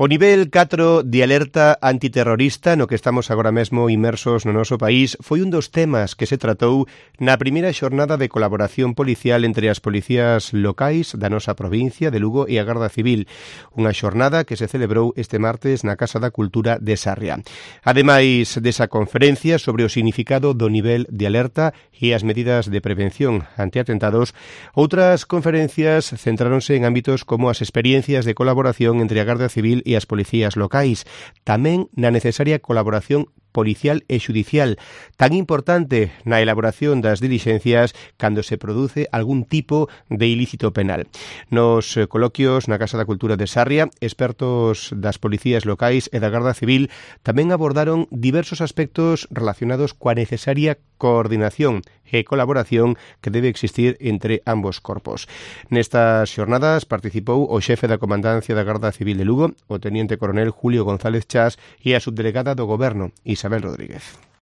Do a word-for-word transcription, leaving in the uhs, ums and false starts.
O nivel catro de alerta antiterrorista no que estamos agora mesmo inmersos no noso país foi un dos temas que se tratou na primeira xornada de colaboración policial entre as policías locais da nosa provincia de Lugo e a Garda Civil, unha xornada que se celebrou este martes na Casa da Cultura de Sarria. Ademais desa conferencia sobre o significado do nivel de alerta e as medidas de prevención ante atentados, outras conferencias centráronse en ámbitos como as experiencias de colaboración entre a Garda Civil e as policías locais, tamén na necesaria colaboración policial e xudicial, tan importante na elaboración das dilixencias cando se produce algún tipo de ilícito penal. Nos coloquios na Casa da Cultura de Sarria, expertos das policías locais e da Garda Civil tamén abordaron diversos aspectos relacionados coa necesaria coordinación e colaboración que debe existir entre ambos corpos. Nestas xornadas participou o xefe da Comandancia da Garda Civil de Lugo, o teniente coronel Julio González Chas, e a subdelegada do Goberno, Isabel Rodríguez.